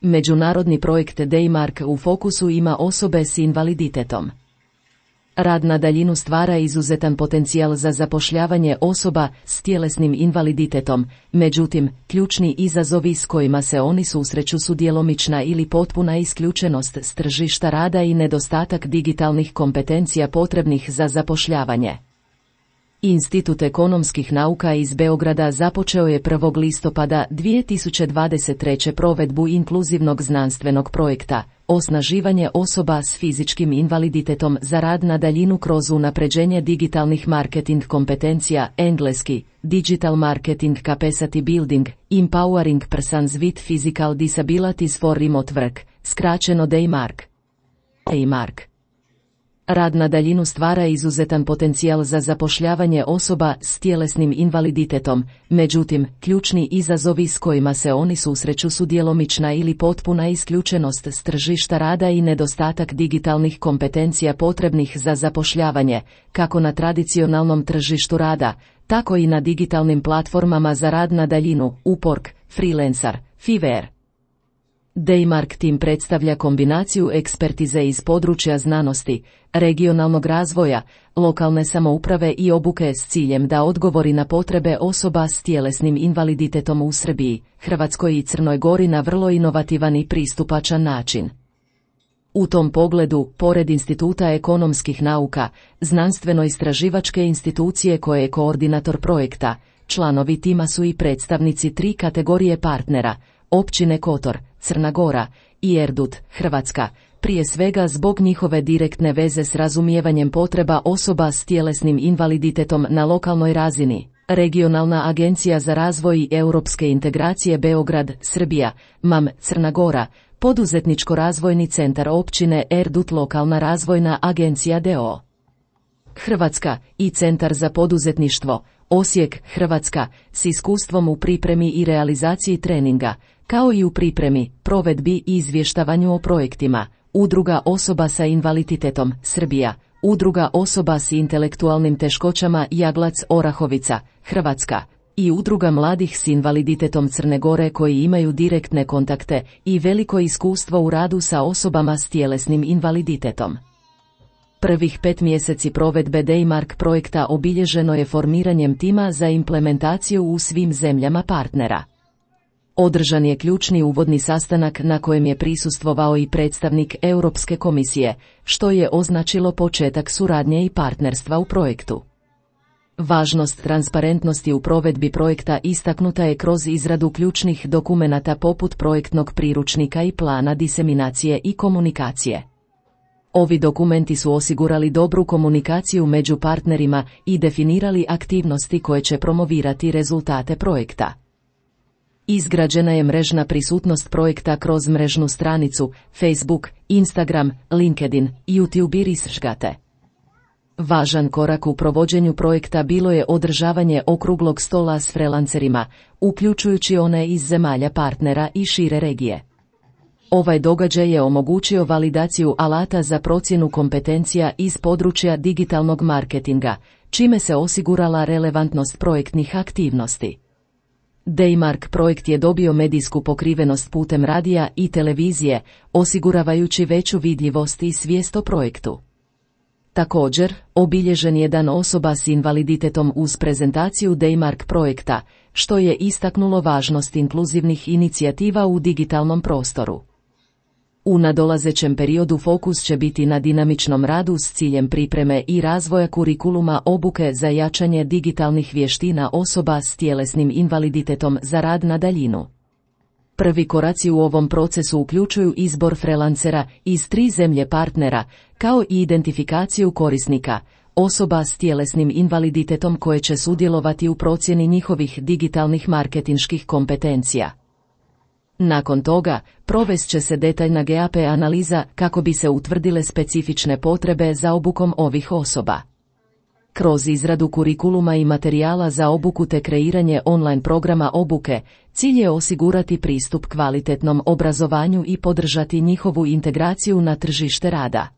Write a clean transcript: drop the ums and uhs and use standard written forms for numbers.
Međunarodni projekt Daymark u fokusu ima osobe s invaliditetom. Rad na daljinu stvara izuzetan potencijal za zapošljavanje osoba s tjelesnim invaliditetom, međutim, ključni izazovi s kojima se oni susreću su djelomična ili potpuna isključenost s tržišta rada i nedostatak digitalnih kompetencija potrebnih za zapošljavanje. Institut ekonomskih nauka iz Beograda započeo je 1. listopada 2023. provedbu inkluzivnog znanstvenog projekta Osnaživanje osoba s fizičkim invaliditetom za rad na daljinu kroz unapređenje digitalnih marketing kompetencija, engleski, Digital Marketing Capacity Building, Empowering Persons with Physical Disabilities for Remote Work, skraćeno Daymark. Rad na daljinu stvara izuzetan potencijal za zapošljavanje osoba s tjelesnim invaliditetom, međutim, ključni izazovi s kojima se oni susreću su djelomična ili potpuna isključenost s tržišta rada i nedostatak digitalnih kompetencija potrebnih za zapošljavanje, kako na tradicionalnom tržištu rada, tako i na digitalnim platformama za rad na daljinu, Upwork, Freelancer, Fiverr. Daymark Team predstavlja kombinaciju ekspertize iz područja znanosti, regionalnog razvoja, lokalne samouprave i obuke s ciljem da odgovori na potrebe osoba s tjelesnim invaliditetom u Srbiji, Hrvatskoj i Crnoj Gori na vrlo inovativan i pristupačan način. U tom pogledu, pored Instituta ekonomskih nauka, znanstveno-istraživačke institucije koje je koordinator projekta, članovi tima su i predstavnici 3 kategorije partnera, općine Kotor, Crna Gora i Erdut, Hrvatska, prije svega zbog njihove direktne veze s razumijevanjem potreba osoba s tjelesnim invaliditetom na lokalnoj razini. Regionalna agencija za razvoj i europske integracije Beograd, Srbija, MAM, Crna Gora, Poduzetničko-razvojni centar općine Erdut, lokalna razvojna agencija d.o.o. Hrvatska i Centar za poduzetništvo, Osijek, Hrvatska, s iskustvom u pripremi i realizaciji treninga, kao i u pripremi, provedbi i izvještavanju o projektima, Udruga osoba sa invaliditetom, Srbija, Udruga osoba s intelektualnim teškoćama Jaglac, Orahovica, Hrvatska, i Udruga mladih s invaliditetom Crne Gore koji imaju direktne kontakte i veliko iskustvo u radu sa osobama s tjelesnim invaliditetom. Prvih 5 mjeseci provedbe Daymark projekta obilježeno je formiranjem tima za implementaciju u svim zemljama partnera. Održan je ključni uvodni sastanak na kojem je prisustvovao i predstavnik Europske komisije, što je označilo početak suradnje i partnerstva u projektu. Važnost transparentnosti u provedbi projekta istaknuta je kroz izradu ključnih dokumenata poput projektnog priručnika i plana diseminacije i komunikacije. Ovi dokumenti su osigurali dobru komunikaciju među partnerima i definirali aktivnosti koje će promovirati rezultate projekta. Izgrađena je mrežna prisutnost projekta kroz mrežnu stranicu, Facebook, Instagram, LinkedIn, YouTube i Researchgate. Važan korak u provođenju projekta bilo je održavanje okruglog stola s freelancerima, uključujući one iz zemalja partnera i šire regije. Ovaj događaj je omogućio validaciju alata za procjenu kompetencija iz područja digitalnog marketinga, čime se osigurala relevantnost projektnih aktivnosti. Daymark projekt je dobio medijsku pokrivenost putem radija i televizije, osiguravajući veću vidljivost i svijest o projektu. Također, obilježen je Dan osoba s invaliditetom uz prezentaciju Daymark projekta, što je istaknulo važnost inkluzivnih inicijativa u digitalnom prostoru. U nadolazećem periodu fokus će biti na dinamičnom radu s ciljem pripreme i razvoja kurikuluma obuke za jačanje digitalnih vještina osoba s tjelesnim invaliditetom za rad na daljinu. Prvi koraci u ovom procesu uključuju izbor freelancera iz 3 zemlje partnera, kao i identifikaciju korisnika, osoba s tjelesnim invaliditetom koje će sudjelovati u procjeni njihovih digitalnih marketinških kompetencija. Nakon toga, provest će se detaljna GAP analiza kako bi se utvrdile specifične potrebe za obukom ovih osoba. Kroz izradu kurikuluma i materijala za obuku te kreiranje online programa obuke, cilj je osigurati pristup kvalitetnom obrazovanju i podržati njihovu integraciju na tržište rada.